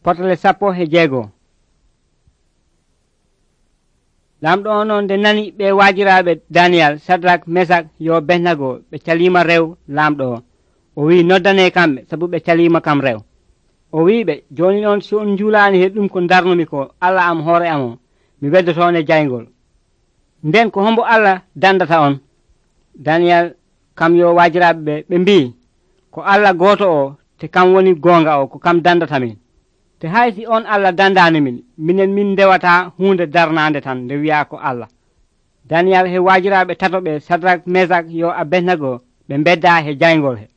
Potle 16. Lamɗo on nde nani ɓe waajiraaɓe Daniyal, Sadrak, Mesak yo Abednego ɓe caliima rew lamɗo o wi noddane kamɓe sabu ɓe caliima kam rew. O wiɓe, joni noon so on njulaani he ɗum ko darnumi ko Allah am hoore am o, mi weddotoone jayngol. Nden ko hombo Allah dandata on? Daniyal kam yo waajiraaɓe ɓe mbii, ko Allah gooto o te kam woni goonga o ko kam dandata min. Te haysi on Allah dandaani min, minen min ndewata huunde darnaande tan nde wi'a ko Allah. Daniyal he waajiraaɓe tato ɓe Sadrak, Mesak yo Abednego ɓe bedda he jayngol he.